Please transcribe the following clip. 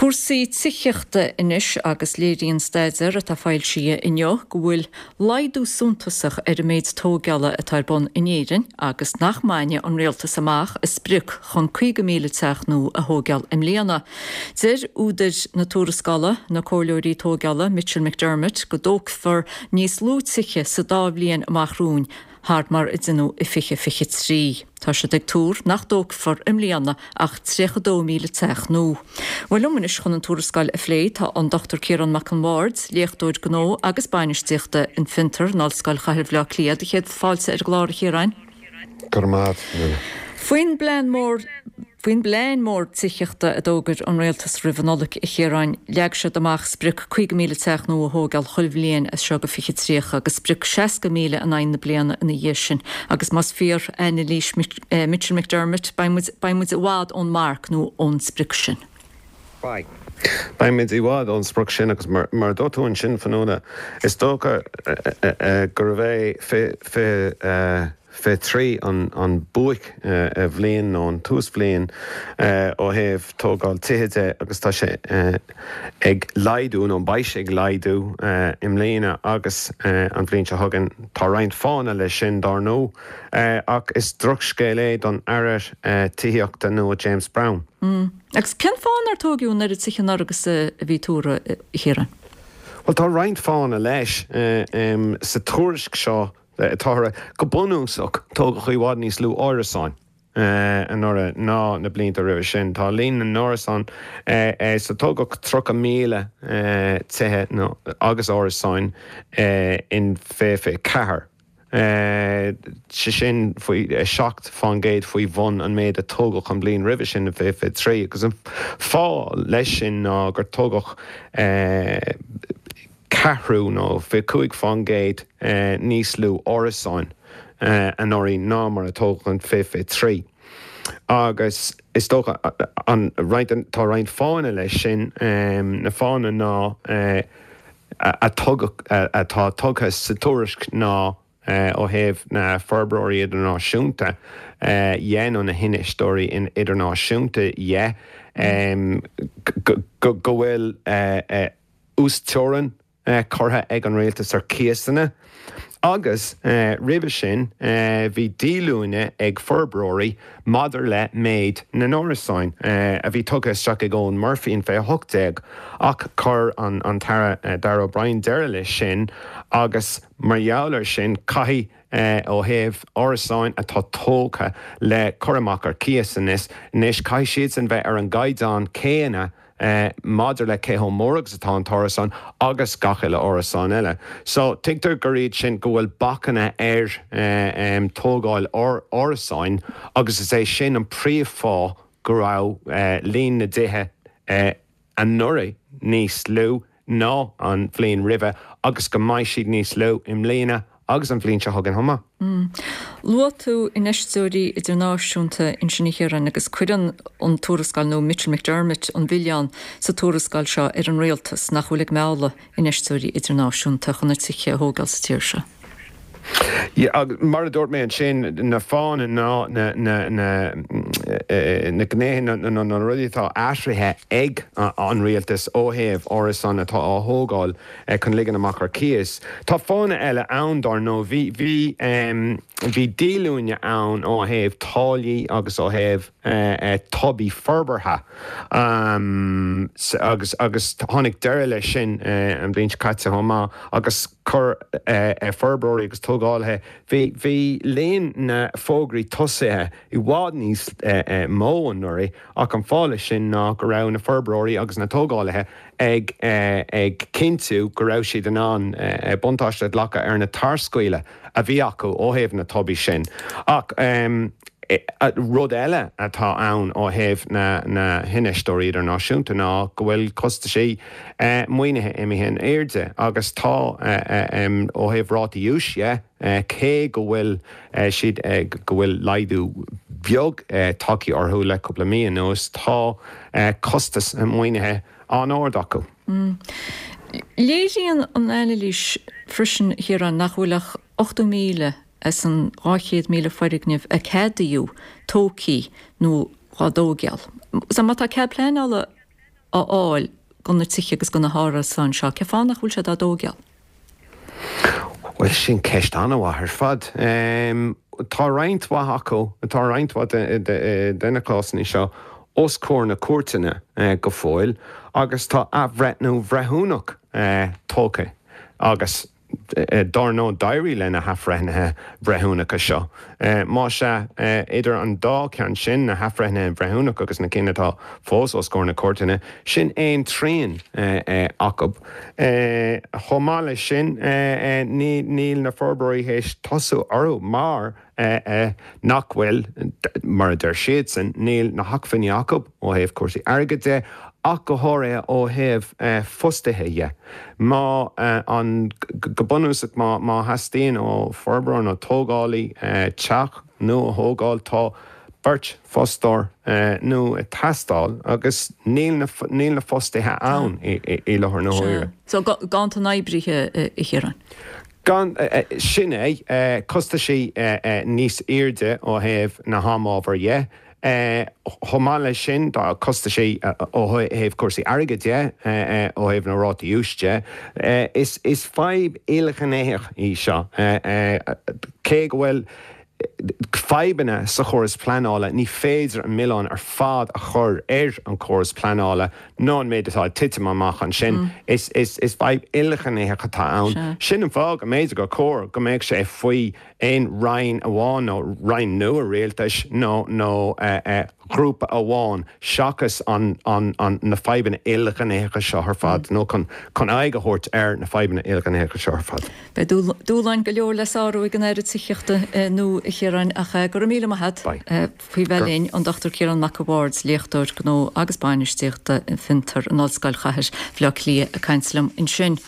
Cúrsaí tithíochta anois agus léiríonn staidéar atá foilsithe inniu go bhfuil laghdú suntasach ar an méid tóigeála atá ar bun in Éirinn agus nach mbainfidh an rialtas amach a sprioc chun 50,000 teach nua a thóigeáil i mbliana. Deir údair na tuarascála, na comhairleoirí tóigeála Mitchell McDermott, go dtógfar níos lú tithe sa dá bhliain amach romhainn thar mar a deineadh i 2023. Tá siad ag tuar nach dtógfar i mbliana ach 32,000 teach nua. Bhuel, liom anois chun an tuarascáil a phlé tá an Dr Ciarán Mac an Bhaird, léachtóir gnó agus bainistíochta in Fiontar in Ollscoil Chathair Bhaile Átha Cliath. Do chéad fáilte ar an gclár, a Chiaráin. Go raibh maith agat. Faoin bplean mór Faoin bplean mór tithíochta a d'fhógair an Rialtas roimh an Nollaig, a Chiaráin, leag siad amach sprioc 50,000 teach nua a thóigeáil chuile bhliain as seo go 2030 agus sprioc 60,000 in aghaidh na bliana ina dhiaidh sin. Agus más fíor anailís Mitchell McDermott, beidh muid, beidh muid i bhfad ón marc nó ón sprioc sin. Beidh. Beidh muid i bhfad ón sprioc sin agus mar a dúirt tú ansin, Fionnuala, is dócha gurbh é 20. 23 an buaic-bhliain nó an túsbhliain ó thaobh tógáil tithe de agus tá sé ag laghdú nó beidh sé ag laghdú i mbliana agus an bhliain seo chugainn. Tá roinnt fáthanna leis sin, dár ndóigh, ach is drochscéal é don Aire Tithíochta nua James Browne. Agus cén fáth nár tóigeadh an oiread tithe anuraidh agus a bhí tuartha, a Chiaráin? Bhuel, tá roinnt fáthanna leis. Sa tuairisc seo, Táthar, go bunúsach, tógadh i bhfad níos lú árasáin anuraidh ná na blianta roimhe sin. Tá líon na n-árasán, so tógadh 30,000 tithe agus árasáin in 2024, sé sin faoi 7% faoi bhun an méid a tógadh an bhliain roimhe sin in 2023 agus an fáth leis sin ná gur tógadh ceathrú nó 25% níos lú árasáin anuraidh ná mar a tógadh in 2023 agus is dócha an roinnt, tá roinnt fáthanna leis sin. Na fáthanna ná a tugadh, atá tugtha sa tuairisc ná ó thaobh na forbróirí idirnáisiúnta dhe nó na hinfheisteoirí idirnáisiúnta dhe go bhfuil uasteorainn curtha ag an rialtas ar chíosanna agus roimhe sin bhí díolúine ag forbróirí maidir le méid na n-árasáin a bhí tugtha isteach ag Eoghan Murphy in 2018 ach chuir an tAire Darragh O'Brien deireadh leis sin agus mar gheall air sin caithfidh ó thaobh árasáin atá tógtha le cur amach ar cíos anois, caithfidh siadsan bheith ar an gcaighdeán céanna maidir le cé chomh mór agus atá an t-árasán agus gach uile árasán eile. So, tuigtear gur iad sin, go bhfuil bacanna ar tógáil árasáin agus is é sin an príomhfháth go raibh líon na dtithe anuraidh níos lú ná an bhliain roimhe agus go mbeidh siad níos lú i mbliana agus an bhliain seo chugainn chomh maith. Luaigh tú infheisteoirí idirnáisiúnta ansin a Chiaráin agus cuireann an tuarascáil, nó Mitchell McDermott an milleán sa tuarascáil seo ar an rialtas nach bhfuil ag mealladh infheisteoirí idirnáisiúnta chun na tithe a thógáil sa tír seo. Yeah, agus mar a dúirt mé ansin, na fáthanna ná na, na, na, na gnéithe, na, na, na rudaí atá athraithe ag an rialtas ó thaobh árasán atá á thógáil chun ligean amach ar cíos. Tá fáthanna eile ann, dár ndóigh. Bhí, bhí, bhí díolúine ann ó thaobh táillí agus ó thaobh tobaí forbartha agus, agus tháinig deireadh leis sin an bhliain seo caite chomh maith agus chuir forbróirí agus tógálaithe, bhí, bhí líon na bhfógraí tosaithe i bhfad níos mó anuraidh ach an fáth leis sin ná go raibh na forbróirí agus na tógálaithe ag ag cinntiú go raibh siad in ann buntáiste a ghlacadh ar na tarscaoileadh a bhí acu ó thaobh na tobaí sin. Ach rud eile atá ann ó thaobh na hinfheisteoirí idirnáisiúnta ná go bhfuil costaisí maoinithe imithe in airde agus tá, ó thaobh rátaí úis dhe, cé go bhfuil siad, go bhfuil laghdú beag tagtha orthu le cúpla mí anuas, tá costas maoinithe an-ard acu. Léiríonn an anailís freisin, a Chiaráin, nach bhfuil ach 80,000 as an 200,000 foirgneamh a ceadaíodh tógtha nó á dtógáil. So má tá cead pleanála. a fháil do na tithe agus do na hárasáin seo, cén fáth nach bhfuil siad á dtóigeáil? Bhuel, sin ceist an-mhaith ar fad. Tá roinnt mhaith acu, tá roinnt mhaith de na cásanna seo os comhair na cúirteanna go fóill agus tá athbhreithniú breithiúnach tógtha agus Dár ndóigh, d'éirigh le na hathbhreithnithe breithiúnacha seo. Más ea, idir an dá cheann sin, na hathbhreithnithe breithiúnacha agus na cinn atá fós os comhair na cúirteanna, sin aon trian acu. Chomh maith leis sin, níl na forbróirí théis tosú orthu mar nach bhfuil, mar a deir siadsan, níl na hacmhainní acu ó thaobh cúrsaí airgid de ach go háirithe ó thaobh fostaithe dhe. Má an, go bunúsach, má má theastaíonn ó forbróir nó tógálaí teach nua a thógáil, tá beirt fostóir nua ag teastáil agus níl na níl na fostaithe ann i láthair na huaire. So ganntan oibrithe, a Chiaráin? Gan, sin é, costaisí níos airde ó thaobh na hamhábhair dhe. Chomh maith leis sin, tá costaisí ó thaobh cúrsaí airgid de, ó thaobh na rátaí úis de. Is fadhb ilghnéitheach í seo. Cé go bhfuil fadhbanna sa chóras pleanála, ní féidir an milleán ar fad a chur ar an chóras pleanála nó an méid atá ag titim amach ansin. Is fadhb ilghnéitheach atá ann. Sin an fáth go mb'fhéidir gur chóir go mbeadh sé faoi aon roinn amháin nó roinn nua rialtais nó nó ghrúpa amháin seachas an na fadhbanna ilghnéitheacha seo ar fad nó chun aghaidh a thabhairt ar na fadhbanna ilghnéitheacha seo ar fad. Beidh dúshláin go leor le sárú ag an Aire Tithíochta nua, a Chiaráin, ach go raibh míle maith agat faoi bheith linn, an Dr Ciarán Mac a' Bhaird, léachtóir gnó agus bainistíochta fiontar in Ollscoil Chathair Bhaile Átha Cliath ag caint liom ansin.